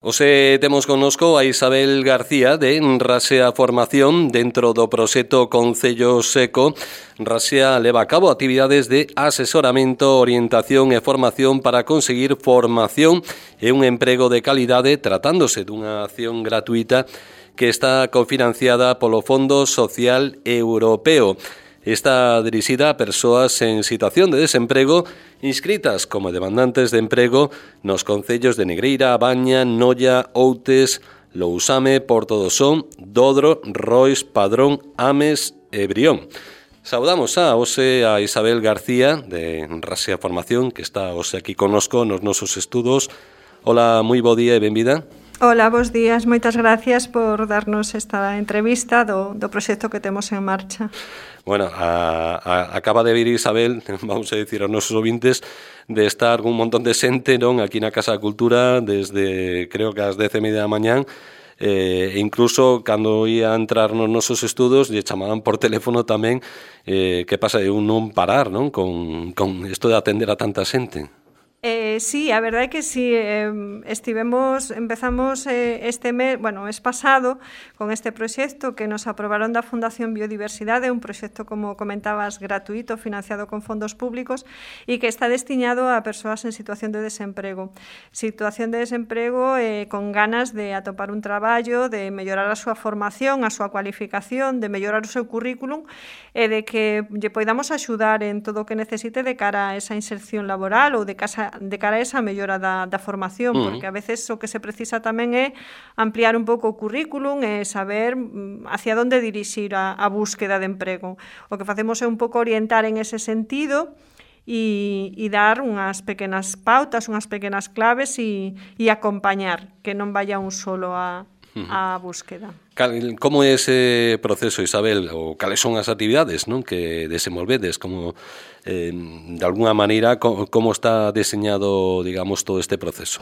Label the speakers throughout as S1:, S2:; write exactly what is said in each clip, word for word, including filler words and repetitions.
S1: Hoxe temos connosco a Isabel García de Rasea Formación dentro do proxecto Concello Seco. Rasea leva a cabo actividades de asesoramento, orientación e formación para conseguir formación e un emprego de calidade tratándose dunha acción gratuita que está cofinanciada polo Fondo Social Europeo. Está dirixida a persoas en situación de desemprego inscritas como demandantes de emprego nos concellos de Negreira, Baña, Noia, Outes, Lousame, Porto do Son, Dodro, Rois, Padrón, Ames e Brión. Saudamos a hoxe a Isabel García de Rasea Formación, que está hoxe aquí connosco nos nosos estudos. Hola, moi bo día e benvida.
S2: Hola, bons días. Moitas gracias por darnos esta entrevista do, do proxecto que temos en marcha.
S1: Bueno, a, a, acaba de vir Isabel, vamos a dicir aos nosos ouvintes, de estar un montón de xente, non, aquí na Casa da Cultura desde, creo que ás dez e media da mañán, eh, e incluso cando ia entrar nos nosos estudos lle chamaban por teléfono tamén, eh, que pasa de un non parar, non, con, con isto de atender a tanta xente.
S2: Eh, sí, a verdade é que sí, eh, estivemos, empezamos eh, este mes, bueno, mes pasado, con este proxecto que nos aprobaron da Fundación Biodiversidade, un proxecto, como comentabas, gratuito, financiado con fondos públicos e que está destinado a persoas en situación de desemprego. Situación de desemprego eh, con ganas de atopar un traballo, de mellorar a súa formación, a súa cualificación, de mellorar o seu currículum e de que lle poidamos axudar en todo o que necesite de cara a esa inserción laboral ou de casa de cara a esa mellora da, da formación, uh-huh. porque a veces o que se precisa tamén é ampliar un pouco o currículum e saber hacia onde dirixir a, a búsqueda de emprego. O que facemos é un pouco orientar en ese sentido e, e dar unhas pequenas pautas, unhas pequenas claves e, e acompañar, que non vaya un solo a, a búsqueda.
S1: Como é ese proceso, Isabel, ou cales son as actividades, non, que desenvolvedes, como eh, de alguna maneira como está deseñado, digamos, todo este proceso?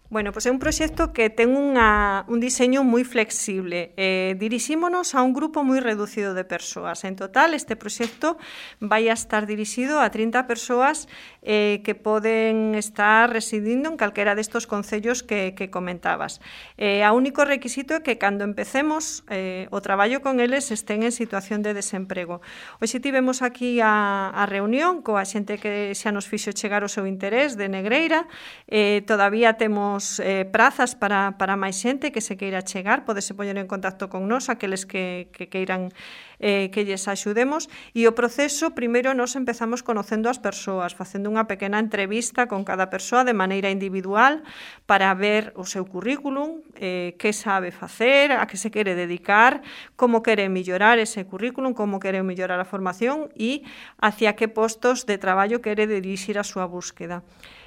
S2: Bueno, pois é un proxecto que ten unha, un diseño moi flexible. Eh, dirixímonos a un grupo moi reducido de persoas. En total, este proxecto vai a estar dirixido a trinta persoas eh, que poden estar residindo en calquera destos concellos que, que comentabas. Eh, a único requisito é que cando empecemos eh, o traballo con eles estén en situación de desemprego. Hoxe tivemos aquí a, a reunión coa xente que xa nos fixo chegar o seu interés de Negreira. Eh, todavía temos Eh, prazas para, para máis xente que se queira chegar, podese poñer en contacto con nós, aqueles que, que queiran eh, que lles axudemos, e o proceso, primeiro, nos empezamos conocendo as persoas, facendo unha pequena entrevista con cada persoa de maneira individual para ver o seu currículum, eh, que sabe facer, a que se quere dedicar, como quere mellorar ese currículum, como quere mellorar a formación e hacia que postos de traballo quere dirixir a súa búsqueda.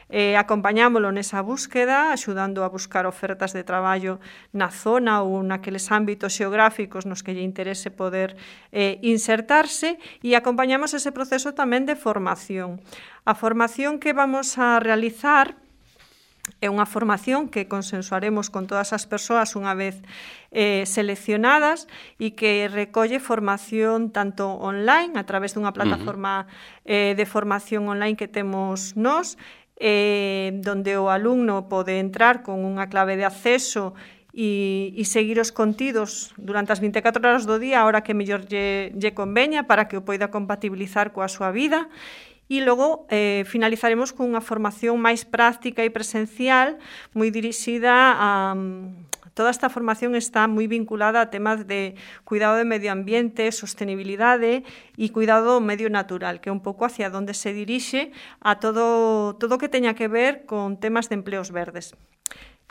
S2: Eh, acompañámolo nesa búsqueda, axudando a buscar ofertas de traballo na zona ou naqueles ámbitos xeográficos nos que lle interese poder eh, insertarse, e acompañamos ese proceso tamén de formación. A formación que vamos a realizar é unha formación que consensuaremos con todas as persoas unha vez eh, seleccionadas e que recolle formación tanto online, a través dunha plataforma uh-huh. eh, de formación online que temos nós, Eh, donde o alumno pode entrar con unha clave de acceso e, e seguir os contidos durante as vinte e catro horas do día, a hora que mellor lle, lle conveña, para que o poida compatibilizar coa súa vida. E logo eh, finalizaremos con unha formación máis práctica e presencial, moi dirixida a... Toda esta formación está moi vinculada a temas de cuidado do medio ambiente, sostenibilidade e cuidado do medio natural, que é un pouco hacia onde se dirixe a todo todo que teña que ver con temas de empleos verdes.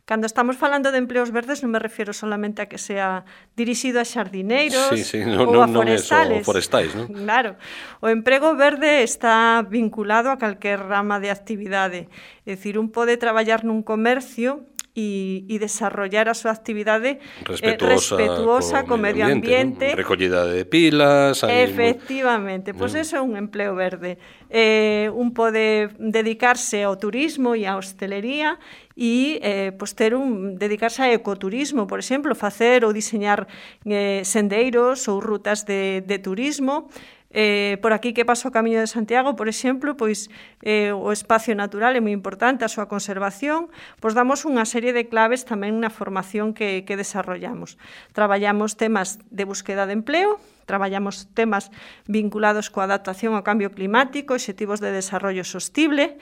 S2: Cando estamos falando de empleos verdes non me refiero solamente a que sea dirixido a xardineiros
S1: sí, sí, no,
S2: ou
S1: no,
S2: a
S1: non é
S2: forestales.
S1: só forestais, non?
S2: Claro, o emprego verde está vinculado a calquer rama de actividade. É dicir, un pode traballar nun comercio e, e desarrollar a súa actividade
S1: respetuosa,
S2: eh, respetuosa co, co medio ambiente,
S1: ambiente, ¿no? Recollida de pilas.
S2: Efectivamente, pois pues eso é un empleo verde. Eh, un pode dedicarse ao turismo e á hostelería e eh, pues ter un, dedicarse a ecoturismo, por exemplo, facer ou diseñar eh, sendeiros ou rutas de, de turismo, Eh, por aquí que pasa o Camiño de Santiago, por exemplo, pois eh, o espacio natural é moi importante, a súa conservación, pois damos unha serie de claves tamén na formación que, que desarrollamos. Traballamos temas de búsqueda de empleo, traballamos temas vinculados coa adaptación ao cambio climático, obxectivos de desarrollo sostible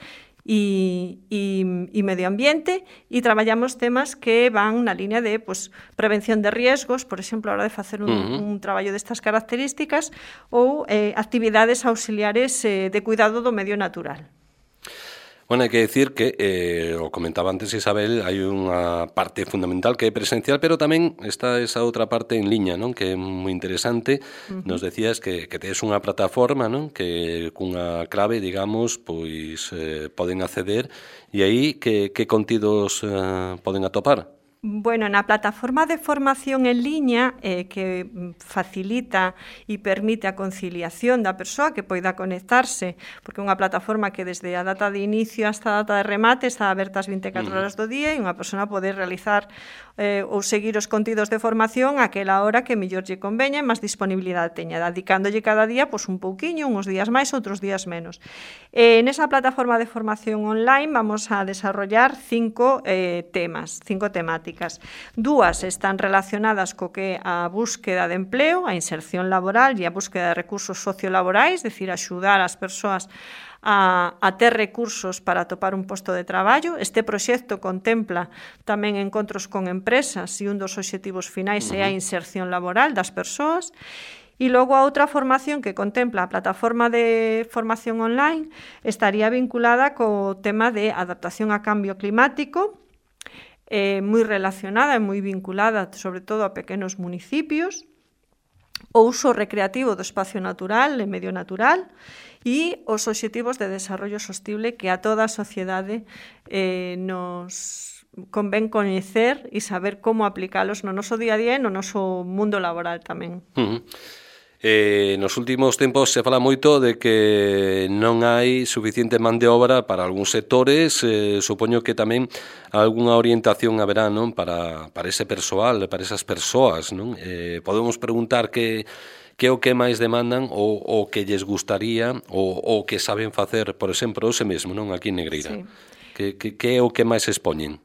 S2: e, e, e medio ambiente, e traballamos temas que van na línea de pues, prevención de riesgos, por exemplo, a hora de facer un, uh-huh. un traballo destas características, ou eh, actividades auxiliares eh, de cuidado do medio natural.
S1: Bueno, hai que decir que, eh, o comentaba antes Isabel, hai unha parte fundamental que é presencial, pero tamén está esa outra parte en liña, non? Que é moi interesante. Uh-huh. Nos decías que, que tes unha plataforma, non? Que cunha clave, digamos, pois eh, poden acceder, e aí que, que contidos eh, poden atopar?
S2: Bueno, na plataforma de formación en liña eh, que facilita e permite a conciliación da persoa que poida conectarse, porque é unha plataforma que desde a data de inicio hasta a data de remate está aberta as vinte e catro horas do día e unha persona pode realizar eh, ou seguir os contidos de formación aquela hora que mellor lle conveña e máis disponibilidade teña, dedicándolle cada día pois, un pouquiño, uns días máis, outros días menos. Eh, nesa plataforma de formación online vamos a desarrollar cinco eh, temas, cinco temáticas. Dúas están relacionadas co que a búsqueda de empleo, a inserción laboral e a búsqueda de recursos sociolaborais, é dicir, axudar as persoas a, a ter recursos para atopar un posto de traballo. Este proxecto contempla tamén encontros con empresas e un dos obxectivos finais é a inserción laboral das persoas. E logo a outra formación que contempla a plataforma de formación online estaría vinculada co tema de adaptación a cambio climático, eh, moi relacionada e moi vinculada sobre todo a pequenos municipios, o uso recreativo do espacio natural e medio natural e os obxectivos de desarrollo sostible que a toda a sociedade eh, nos convén coñecer e saber como aplicalos no noso día a día e no noso mundo laboral tamén.
S1: Uh-huh. Eh, nos últimos tempos se fala moito de que non hai suficiente man de obra para algúns sectores, eh, supoño que tamén algunha orientación haberá, non? Para, para ese persoal, para esas persoas, non? Eh, podemos preguntar que que é o que máis demandan ou o que lles gustaría ou o que saben facer, por exemplo, ose mesmo, non? Aquí en Negreira. Sí. Que, que, que é o que máis expoñen?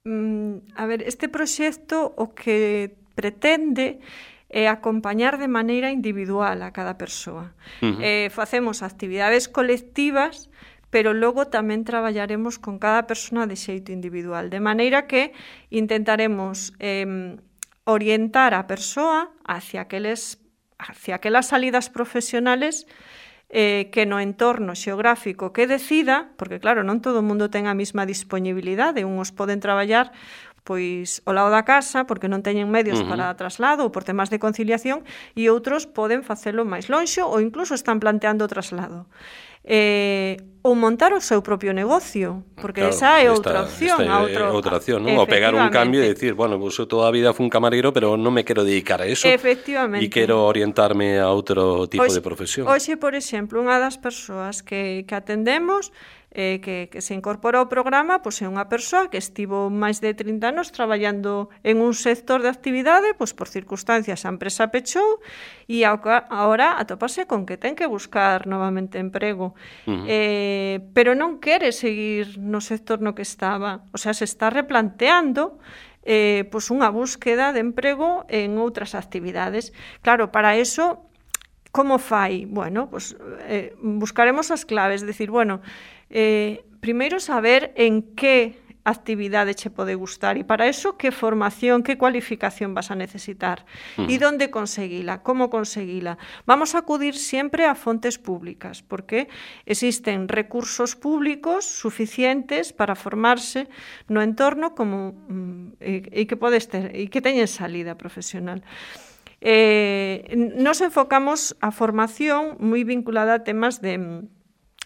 S2: Mm, a ver, este proxecto o que pretende é acompañar de maneira individual a cada persoa. Uh-huh. Eh, facemos actividades colectivas, pero logo tamén traballaremos con cada persona de xeito individual, de maneira que intentaremos eh, orientar a persoa hacia aqueles, hacia aquelas salidas profesionales eh, que no entorno xeográfico que decida, porque claro, non todo o mundo ten a mesma disponibilidade, uns poden traballar pois ao lado da casa, porque non teñen medios uh-huh. para traslado ou por temas de conciliación, e outros poden facelo máis lonxo ou incluso están planteando o traslado. Eh, ou montar o seu propio negocio, porque claro, esa é outra esta, opción.
S1: Esta é outro, outra opción, non? Ou pegar un cambio e decir, bueno, pues, eu toda a vida fui un camarero, pero non me quero dedicar a eso.
S2: Efectivamente.
S1: E quero orientarme a outro tipo
S2: oxe,
S1: de profesión.
S2: Hoxe, por exemplo, unha das persoas que, que atendemos Eh, que, que se incorporou ao programa pois, é unha persoa que estivo máis de trinta anos traballando en un sector de actividade, pois, por circunstancias a empresa pechou e agora atopase con que ten que buscar novamente emprego. Uh-huh. eh, pero non quere seguir no sector no que estaba, o sea, se está replanteando eh, pois unha búsqueda de emprego en outras actividades. Claro, para eso, como fai? Bueno, pois, eh, buscaremos as claves, decir, bueno, Eh, primeiro saber en que actividade che pode gustar e para eso que formación, que cualificación vas a necesitar uh-huh. e donde conseguila, como conseguila. Vamos a acudir sempre a fontes públicas porque existen recursos públicos suficientes para formarse no entorno como e, e que podes ter e que teñen salida profesional. Eh, nos enfocamos a formación moi vinculada a temas de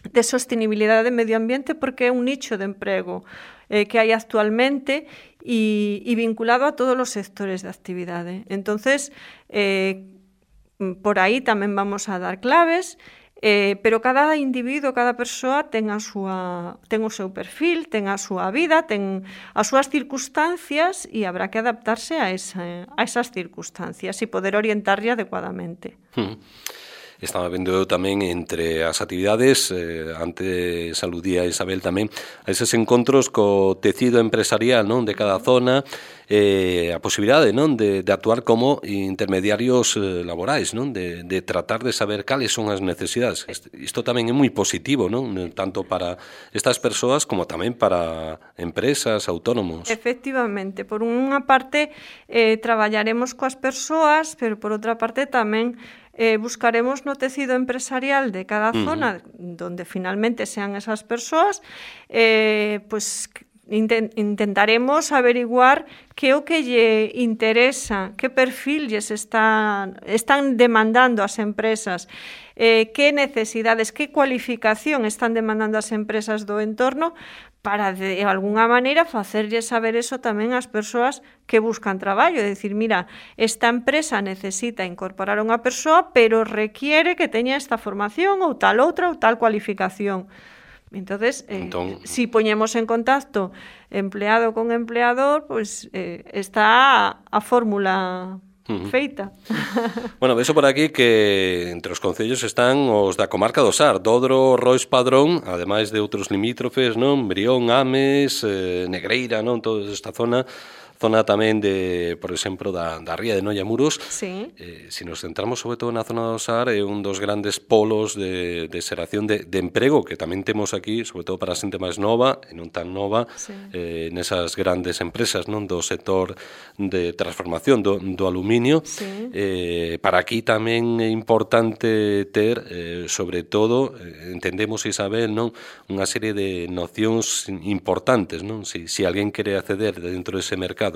S2: de sostenibilidade de medio ambiente porque é un nicho de emprego eh, que hai actualmente e, e vinculado a todos os sectores de actividade. Entonces, eh, por aí tamén vamos a dar claves, eh, pero cada individuo, cada persoa ten a súa, ten o seu perfil, ten a súa vida, ten as súas circunstancias e habrá que adaptarse a, esa, a esas circunstancias e poder orientarlle adecuadamente.
S1: Hmm. estaba vendo tamén entre as actividades, eh, antes aludía Isabel tamén, a eses encontros co tecido empresarial, non, de cada zona, eh, a posibilidade, non, de, de actuar como intermediarios eh, laborais, non, de, de tratar de saber cales son as necesidades. Isto tamén é moi positivo, non, tanto para estas persoas como tamén para empresas, autónomos.
S2: Efectivamente, por unha parte eh, traballaremos coas persoas, pero por outra parte tamén eh, buscaremos no tecido empresarial de cada zona, uh-huh. donde finalmente sean esas persoas, eh, pues intent intentaremos averiguar que o que lle interesa, que perfil lles están, están demandando as empresas, eh, que necesidades, que cualificación están demandando as empresas do entorno, para de alguna maneira facerlle saber eso tamén ás persoas que buscan traballo, é dicir, mira, esta empresa necesita incorporar a unha persoa, pero requiere que teña esta formación ou tal outra ou tal cualificación. Entonces, eh, entón, si poñemos en contacto empleado con empleador, pues eh, está a, a fórmula feita.
S1: Bueno, vexo por aquí que entre os concellos están os da comarca do Sar, Dodro, Rois Padrón, ademais de outros limítrofes, non? Brión, Ames, eh, Negreira, non? Toda esta zona, zona tamén de, por exemplo, da, da ría de Noia Muros.
S2: Sí.
S1: Eh, se nos centramos sobre todo na zona do Sar, é un dos grandes polos de, de xeración de, de emprego que tamén temos aquí, sobre todo para a xente máis nova e non tan nova, sí. eh, nesas grandes empresas, non, do sector de transformación do, do aluminio.
S2: Sí.
S1: Eh, para aquí tamén é importante ter, eh, sobre todo, eh, entendemos, Isabel, non, unha serie de nocións importantes, non? Si, si alguén quere acceder dentro dese mercado.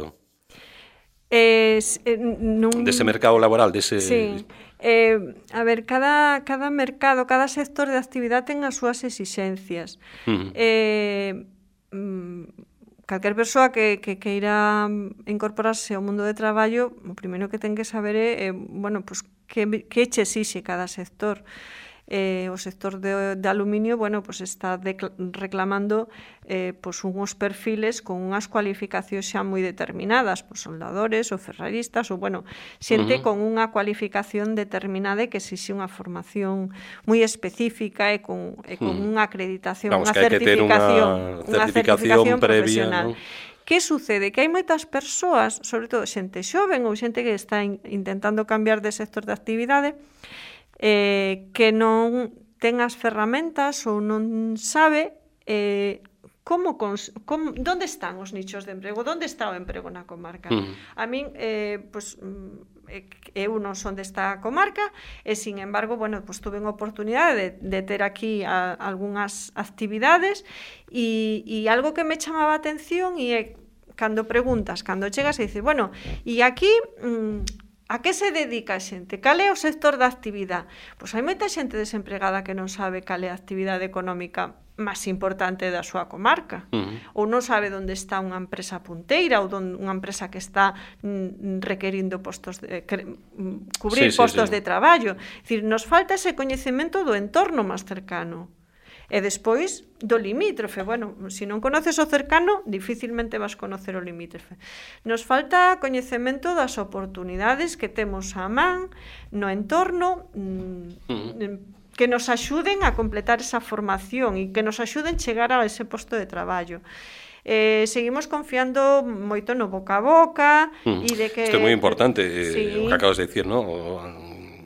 S2: Eh, eh, nun...
S1: Dese mercado laboral, dese...
S2: Sí. Eh, a ver, cada, cada mercado, cada sector de actividade ten as súas exixencias. Uh-huh. eh, calquer persoa que, que queira incorporarse ao mundo de traballo, o primeiro que ten que saber é, eh, bueno, pues, que, que che exixe cada sector. Eh, o sector de, de aluminio, bueno, pues está reclamando eh, pues unhos perfiles con unhas cualificacións xa moi determinadas, pues soldadores ou ferraristas, ou bueno, xente uh-huh. con unha cualificación determinada e que exixe unha formación moi específica e con, e con uh-huh. unha acreditación,
S1: Vamos,
S2: unha certificación,
S1: unha certificación, certificación previa,
S2: profesional.
S1: ¿No?
S2: Que sucede? Que hai moitas persoas, sobre todo xente xoven ou xente que está in, intentando cambiar de sector de actividade, Eh, que non ten as ferramentas ou non sabe eh, como, cons como onde están os nichos de emprego, onde está o emprego na comarca. Mm. A min, eh, pues, eu non son desta comarca e, sin embargo, bueno, pues, tuve unha oportunidade de, de ter aquí a, algunhas actividades e, e algo que me chamaba a atención e é cando preguntas, cando chegas e dices, bueno, e aquí... Mm, a que se dedica a xente? Cal é o sector da actividade? Pois hai moita xente desempregada que non sabe cal é a actividade económica máis importante da súa comarca. Uh-huh. Ou non sabe onde está unha empresa punteira ou donde unha empresa que está mm, requerindo postos de, que, mm, cubrir sí, postos sí, sí. de traballo. É dicir, nos falta ese coñecemento do entorno máis cercano. E despois do limítrofe. Bueno, se non conoces o cercano, dificilmente vas conocer o limítrofe. Nos falta coñecemento das oportunidades que temos á man no entorno, mm, que nos axuden a completar esa formación e que nos axuden a chegar a ese posto de traballo. Eh, seguimos confiando moito no boca a boca mm. e de que...
S1: Isto é moi importante, sí. O que acabas de dicir, ¿no? O...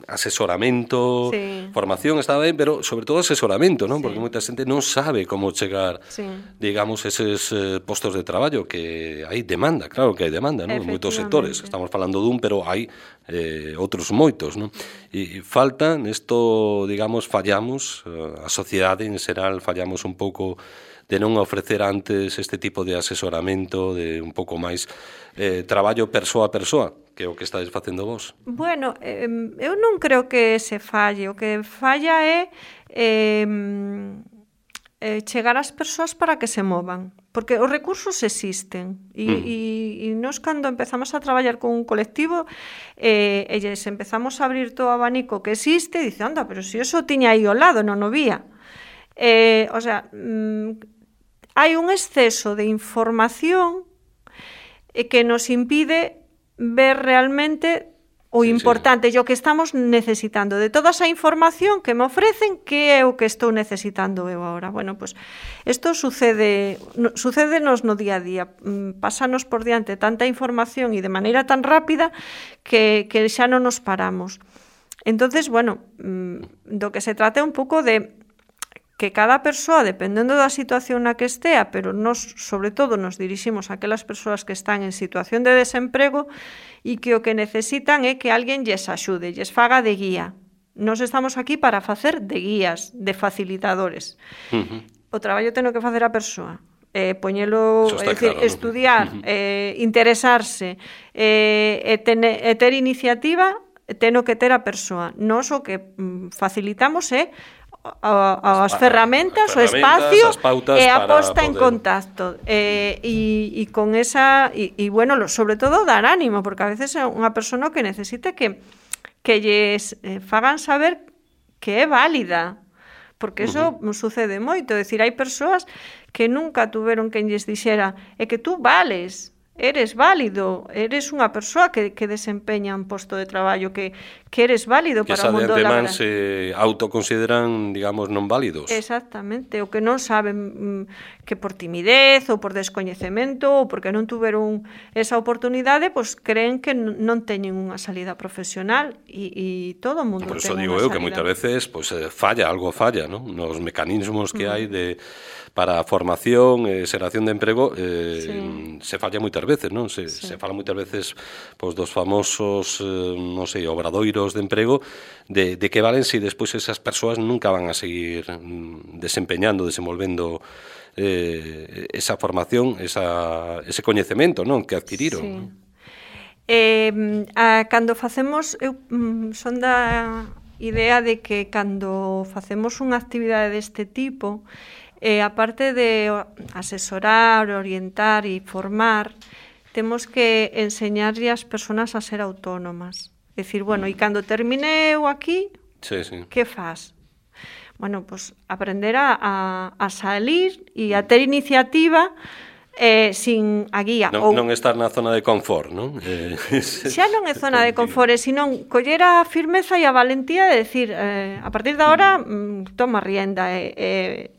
S1: asesoramento, sí. formación está ben, pero sobre todo asesoramento, non? Sí. Porque moita xente non sabe como chegar, sí. digamos, eses eh, postos de traballo que hai demanda, claro que hai demanda, non? En moitos sectores, estamos falando dun, pero hai eh, outros moitos, non? E falta, nesto, digamos, fallamos, a sociedade en xeral fallamos un pouco de non ofrecer antes este tipo de asesoramento, de un pouco máis eh, traballo persoa a persoa, que é o que estáis facendo vos.
S2: Bueno, eh, eu non creo que se falle, o que falla é eh, eh, chegar ás persoas para que se movan, porque os recursos existen e, mm. e, e nós cando empezamos a traballar con un colectivo eh, e lles empezamos a abrir todo o abanico que existe, dice, anda, pero se si eso tiña aí ao lado, non o vía. Eh, o sea, mm, hai un exceso de información que nos impide ver realmente O
S1: sí,
S2: importante,
S1: sí.
S2: o que estamos necesitando. De toda esa información que me ofrecen, que é o que estou necesitando eu agora? Bueno, pois, isto sucede, no, sucédenos no día a día. Pásanos por diante tanta información e de maneira tan rápida que, que xa non nos paramos. Entonces, bueno, do que se trata é un pouco de que cada persoa, dependendo da situación na que estea, pero nos, sobre todo, nos diriximos a aquelas persoas que están en situación de desemprego e que o que necesitan é que alguén lles axude, lles faga de guía. Nos estamos aquí para facer de guías, de facilitadores. Uh-huh. O traballo teno que facer a persoa. Eh, poñelo, é dicir, claro, estudiar, ¿no? eh, interesarse, eh, e, tene, e ter iniciativa, teno que ter a persoa. Nos o que mm, facilitamos é A, as, as ferramentas, o espacio e a posta en contacto e, e, e con esa e, e bueno, sobre todo dar ánimo, porque a veces é unha persona que necesita que que lles eh, fagan saber que é válida, porque eso uh-huh. sucede moito, é dicir, hai persoas que nunca tuveron quen lles dixera é que tú vales, eres válido, eres unha persoa que, que desempeña un posto de traballo, que, que eres válido para o mundo laboral.
S1: Que se autoconsideran, digamos, non válidos.
S2: Exactamente, o que non saben mm, que por timidez ou por descoñecemento ou porque non tuveron esa oportunidade, pois creen que non teñen unha salida profesional e, e todo o mundo ten unha salida.
S1: Por eso digo eu que moitas veces pues, falla, algo falla, ¿no? Nos mecanismos que mm. hai de para a formación e eh, xeración de emprego eh, sí. se falla moitas veces, non? Se, sí. se fala moitas veces pois, dos famosos, eh, non sei, obradoiros de emprego, de, de que valen se si despois esas persoas nunca van a seguir mm, desempeñando, desenvolvendo eh, esa formación, esa, ese coñecemento, non? Que adquiriron. Sí.
S2: Eh, a, cando facemos, eu mm, son da idea de que cando facemos unha actividade deste tipo, Eh, aparte de asesorar, orientar e formar, temos que enseñarlle as persoas a ser autónomas. É dicir, bueno, e cando termineu aquí,
S1: sí, sí.
S2: que faz? Bueno, pues aprender a, a, a salir e a ter iniciativa eh, sin a guía.
S1: Non, ou... non estar na zona de confort, non? Eh,
S2: xa non é zona de confort, senón coller a firmeza e a valentía de decir, eh, a partir de agora, mm, toma rienda e, e,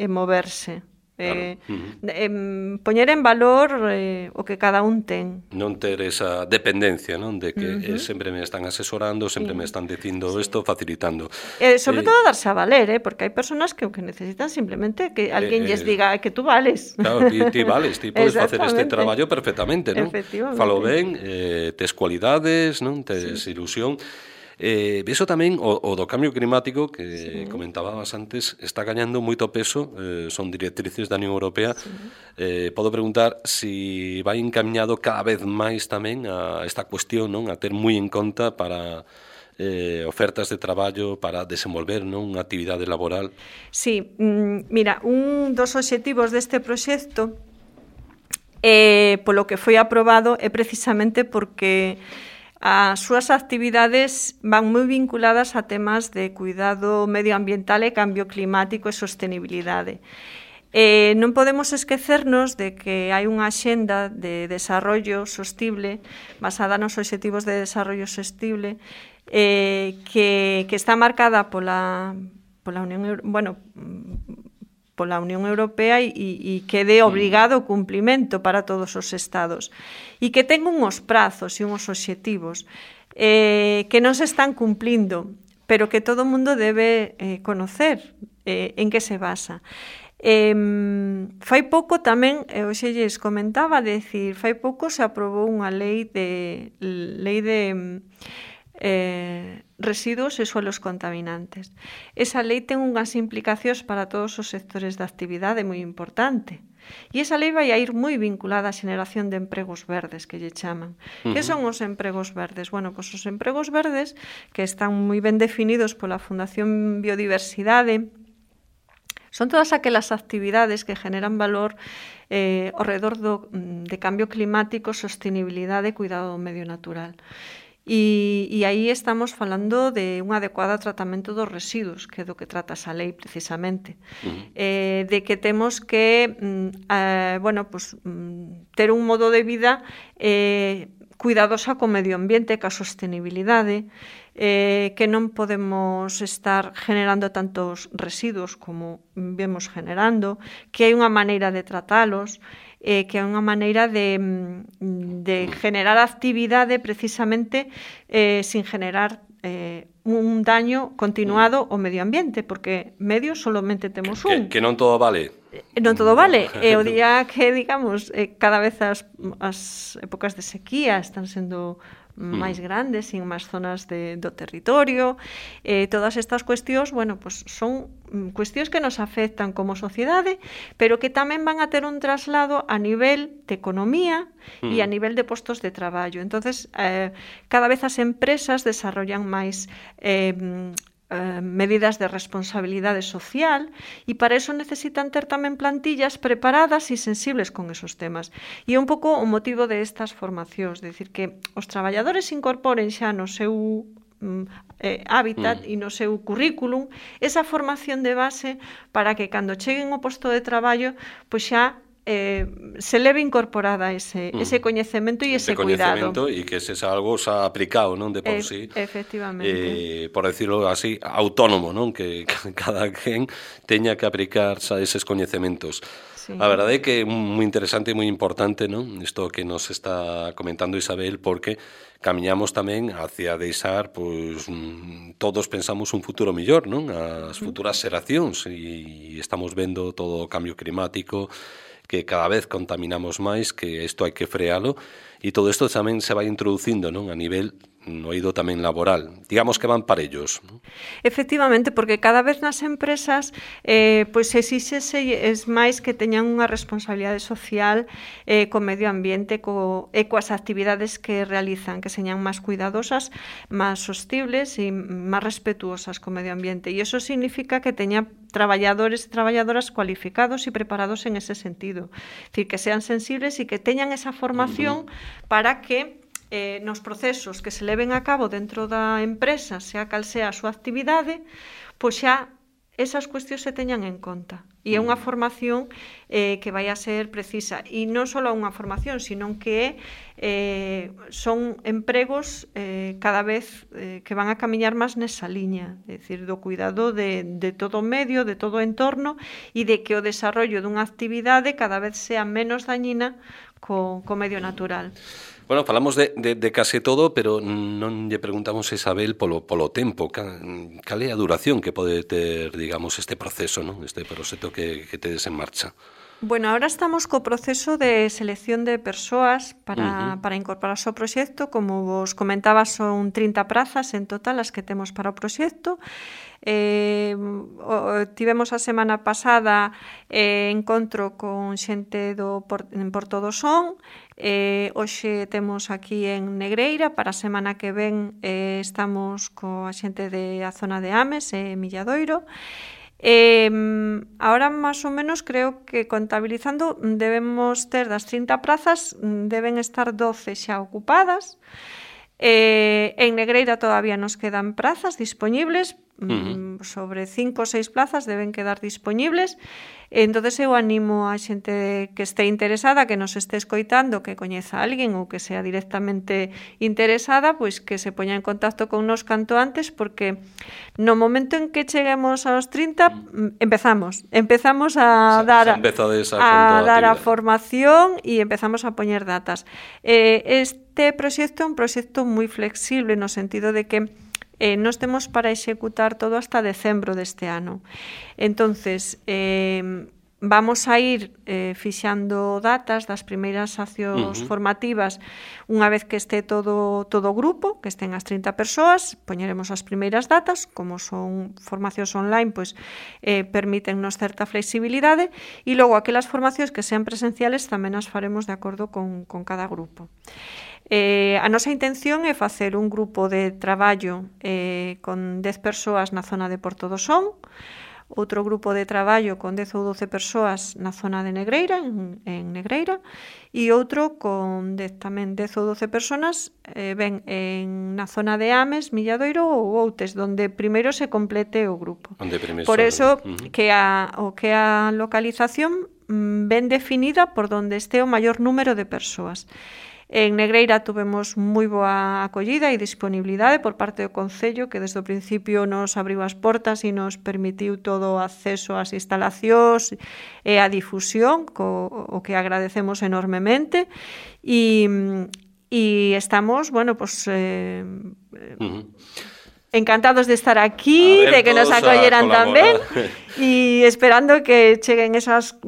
S2: e moverse. Eh, claro. uh-huh. eh, poñer en valor eh, o que cada un ten.
S1: Non ter esa dependencia, non? De que uh-huh. eh, sempre me están asesorando, sempre sí. me están dicindo isto, sí. facilitando.
S2: Eh, sobre eh, todo darse a valer, eh, porque hai personas que o que necesitan simplemente que alguén eh, lles diga que tú vales.
S1: Claro, ti, ti vales, ti podes facer este traballo perfectamente, non? Falo ben, eh, tes cualidades, non? Tes sí. ilusión. Eh, eso tamén, o, o do cambio climático que sí. comentabas antes, está gañando moito peso, eh, son directrices da Unión Europea. Sí. Eh, podo preguntar si vai encaminhado cada vez máis tamén a esta cuestión, non? A ter moi en conta para eh, ofertas de traballo, para desenvolver, non? Unha actividade laboral.
S2: Sí, mm, mira, un dos obxectivos deste proxecto eh, polo que foi aprobado é precisamente porque as súas actividades van moi vinculadas a temas de cuidado medioambiental e cambio climático e sostenibilidade. Eh, non podemos esquecernos de que hai unha axenda de desarrollo sostible basada nos obxectivos de desarrollo sostible eh, que, que está marcada pola, pola Unión, bueno, pola Unión Europea e, e que dé obrigado o cumplimento para todos os estados e que ten uns prazos e uns obxectivos eh, que non se están cumplindo, pero que todo o mundo debe eh, conocer eh, en que se basa. Eh, fai pouco tamén, eh, hoxe lles comentaba, decir, fai pouco se aprobou unha lei de lei de eh, residuos e suelos contaminantes. Esa lei ten unhas implicacións para todos os sectores de actividade moi importante. E esa lei vai a ir moi vinculada á xeneración de empregos verdes, que lle chaman. Uh-huh. Que son os empregos verdes? Bueno, pois os empregos verdes, que están moi ben definidos pola Fundación Biodiversidade, son todas aquelas actividades que generan valor eh, ao redor do, de cambio climático, sostenibilidade e cuidado do medio natural. E, e aí estamos falando de un adecuado tratamento dos residuos, que é do que trata esa lei precisamente. Uh-huh. eh, de que temos que mm, eh, bueno, pues, mm, ter un modo de vida eh, cuidadosa co medio ambiente, ca sostenibilidade, eh, que non podemos estar generando tantos residuos como vemos generando, que hai unha maneira de tratalos, eh, que é unha maneira de, de generar actividade precisamente eh, sin generar eh, un daño continuado ao medio ambiente, porque medio solamente temos un.
S1: Que, que non todo vale.
S2: Non todo vale. E o día que, digamos, eh, cada vez as, as épocas de sequía están sendo máis grandes en máis zonas de, do territorio, eh, todas estas cuestións, bueno, pues son cuestións que nos afectan como sociedade, pero que tamén van a ter un traslado a nivel de economía mm. e a nivel de postos de traballo. Entonces, eh, cada vez as empresas desarrollan máis eh, Eh, medidas de responsabilidade social e para eso necesitan ter tamén plantillas preparadas e sensibles con esos temas. E é un pouco o motivo de estas formacións, de decir que os traballadores incorporen xa no seu eh, hábitat mm. e no seu currículum esa formación de base para que cando cheguen ao posto de traballo, pois xa Eh, se leve incorporada ese, mm. ese coñecemento e ese, ese cuidado.
S1: E que se xa algo xa aplicado, non, de por e, sí.
S2: Efectivamente.
S1: Eh, por decirlo así, autónomo, non, que cada quen teña que aplicar xa eses coñecementos. Sí. A verdade é que é moi interesante e moi importante, non, isto que nos está comentando Isabel, porque camiñamos tamén hacia deixar, pois, todos pensamos un futuro mellor, non, as futuras xeracións, e estamos vendo todo o cambio climático, que cada vez contaminamos máis, que isto hai que frealo, e todo isto tamén se vai introducindo, non, a nivel no eido tamén laboral. Digamos que van parellos, non?
S2: Efectivamente, porque cada vez nas empresas eh, pois exíxese es máis que teñan unha responsabilidade social eh, co medio ambiente co, e coas actividades que realizan, que señan máis cuidadosas, máis sostibles e máis respetuosas co medio ambiente. E iso significa que teña traballadores e traballadoras cualificados e preparados en ese sentido. Es decir, que sean sensibles e que teñan esa formación uh-huh. para que eh, nos procesos que se leven a cabo dentro da empresa, sea cal sea a súa actividade, pois xa esas cuestións se teñan en conta. E é unha formación eh, que vai a ser precisa. E non só unha formación, sino que eh, son empregos eh, cada vez eh, que van a camiñar máis nesa liña, é dicir, do cuidado de, de todo o medio, de todo o entorno, e de que o desarrollo dunha actividade cada vez sea menos dañina co, co medio natural.
S1: Bueno, falamos de, de, de case todo, pero non lle preguntamos a Isabel polo, polo tempo. Cal é a duración que pode ter, digamos, este proceso, non? Este proxecto que, que tedes en marcha?
S2: Bueno, ahora estamos co proceso de selección de persoas para, uh-huh. para incorporarse ao proxecto. Como vos comentaba, son trinta prazas en total as que temos para o proxecto. Eh, o, tivemos a semana pasada eh, encontro con xente do en Porto do Son. Eh, hoxe temos aquí en Negreira, para a semana que ven eh, estamos coa xente de a zona de Ames e eh, Milladoiro. Eh, ahora, máis ou menos, creo que contabilizando debemos ter das trinta prazas, deben estar doce xa ocupadas. Eh, en Negreira todavía nos quedan prazas disponibles, uh-huh. sobre cinco ou seis plazas deben quedar disponibles. Entonces eu animo a xente que este interesada, que nos este escoitando, que coñeza a alguén ou que sea directamente interesada, pois que se poña en contacto con nos canto antes, porque no momento en que cheguemos aos trinta empezamos, empezamos a dar a, a dar a formación e empezamos a poñer datas. Eh, este proxecto é un proxecto moi flexible no sentido de que Eh, nos temos para executar todo hasta decembro deste ano. Entonces, eh, vamos a ir eh, fixando datas das primeiras accións uh-huh. formativas unha vez que este todo todo o grupo, que estén as trinta persoas, poñeremos as primeiras datas, como son formacións online, pois eh, permítennos certa flexibilidade, e logo aquelas formacións que sean presenciales tamén as faremos de acordo con, con cada grupo. Eh, a nosa intención é facer un grupo de traballo eh, con dez persoas na zona de Porto do Son, outro grupo de traballo con dez ou doce persoas na zona de Negreira, en, en Negreira, e outro con dez, tamén dez ou doce persoas eh, ben en na zona de Ames, Milladoiro ou Outes, donde primeiro se complete o grupo. Por eso uh-huh. que a, o que a localización mm, ben definida por donde este o maior número de persoas. En Negreira tuvemos moi boa acollida e disponibilidade por parte do Concello, que desde o principio nos abriu as portas e nos permitiu todo o acceso ás instalacións e a difusión, co, o que agradecemos enormemente. E, e estamos, bueno, pues... Eh, uh-huh. encantados de estar aquí, de que nos acolleran tamén e esperando que cheguen esas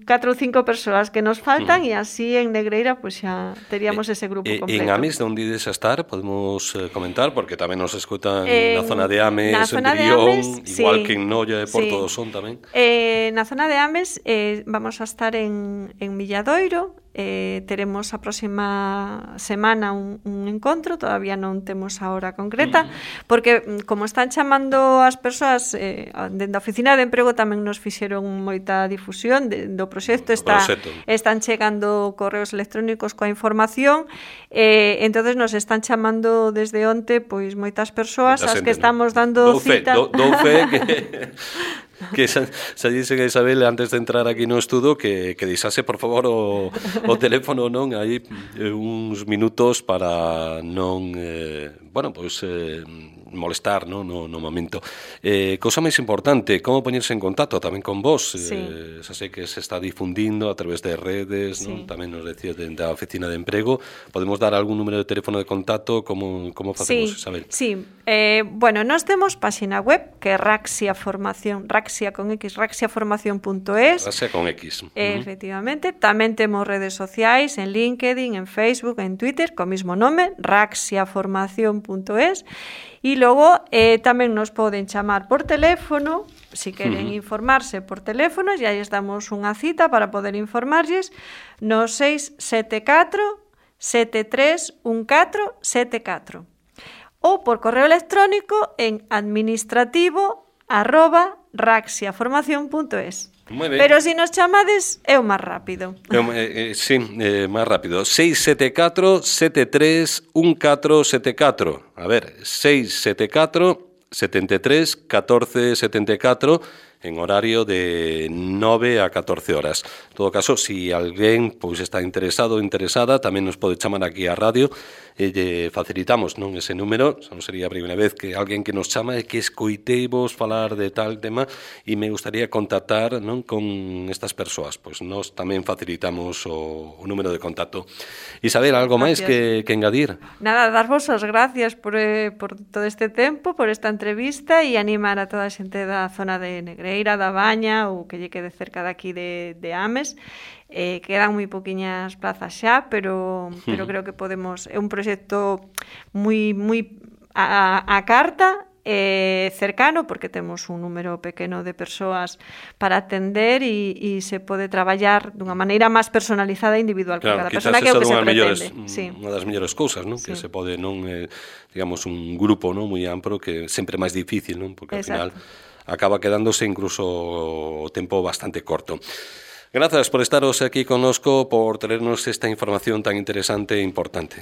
S2: catro ou cinco persoas que nos faltan e uh-huh. así en Negreira pues xa teríamos eh, ese grupo
S1: eh,
S2: completo.
S1: En Ames, onde ides a estar, podemos eh, comentar, porque tamén nos escutan eh, na zona de Ames,
S2: na
S1: en
S2: zona
S1: Brión,
S2: Ames,
S1: igual
S2: sí,
S1: que en Noia e Porto
S2: sí.
S1: do Son tamén.
S2: Eh, na zona de Ames eh, vamos a estar en, en Milladoiro. Eh, teremos a próxima semana un, un encontro, todavía non temos a hora concreta, porque como están chamando as persoas eh, dende a oficina de emprego tamén nos fixeron moita difusión de, do proxecto, está, están chegando correos electrónicos coa información, eh, entonces nos están chamando desde onte pois moitas persoas as que estamos dando
S1: dou fe,
S2: cita
S1: dou, dou fe que que xa, xa dice que Isabel antes de entrar aquí no estudo que, que deixase por favor o, o teléfono non aí eh, uns minutos para non eh, bueno, pois eh, molestar no, no, no momento. Eh, cousa máis importante, como poñerse en contacto tamén con vos, sí. eh, xa sei que se está difundindo a través de redes, sí. non? Tamén nos decía dentro da oficina de emprego, podemos dar algún número de teléfono de contacto, como, como facemos,
S2: sí,
S1: Isabel?
S2: Sí, eh, bueno, nós temos páxina web que é Raxia Formación, Raxia con X, raxiaformación punto es.
S1: Raxia con X.
S2: Eh, uh-huh. Efectivamente, tamén temos redes sociais en LinkedIn, en Facebook, en Twitter, co mismo nome, raxiaformación punto es. E logo eh, tamén nos poden chamar por teléfono, se si queren uh-huh. informarse por teléfono, e aí estamos unha cita para poder informarlles no seis sete catro sete tres un catro sete catro ou por correo electrónico en administrativo arroba raxiaformación punto es. Pero se si nos chamades é o máis rápido.
S1: Eh, eh, sí, eh, máis rápido. seis sete catro sete tres un catro sete catro. A ver, seis sete catro sete tres un catro sete catro en horario de nove a catorce horas. En todo caso, se si alguén pois está interesado ou interesada, tamén nos pode chamar aquí á radio e lle facilitamos non ese número. Non sería a primeira vez que alguén que nos chama e que escoiteivos falar de tal tema e me gustaría contactar non con estas persoas. Pois nós tamén facilitamos o, o número de contacto. Isabel, algo máis que, que engadir?
S2: Nada, darvos as gracias por, eh, por todo este tempo, por esta entrevista e animar a toda a xente da zona de Negreira, da Baña ou que lle quede cerca daqui de, de Ames. Eh, quedan moi poquiñas plazas xa, pero, pero creo que podemos, é un proxecto moi moi a, a carta, eh, cercano, porque temos un número pequeno de persoas para atender e, e se pode traballar dunha maneira máis personalizada e individual con
S1: claro,
S2: cada persona, que é o que se pretende.
S1: Mellores,
S2: sí.
S1: Unha das mellores cousas, non? Sí. Que se pode non eh, digamos un grupo, non, moi amplo que sempre é máis difícil, non? Porque ao final acaba quedándose incluso o tempo bastante corto. Gracias por estaros aquí connosco, por traernos esta información tan interesante e importante.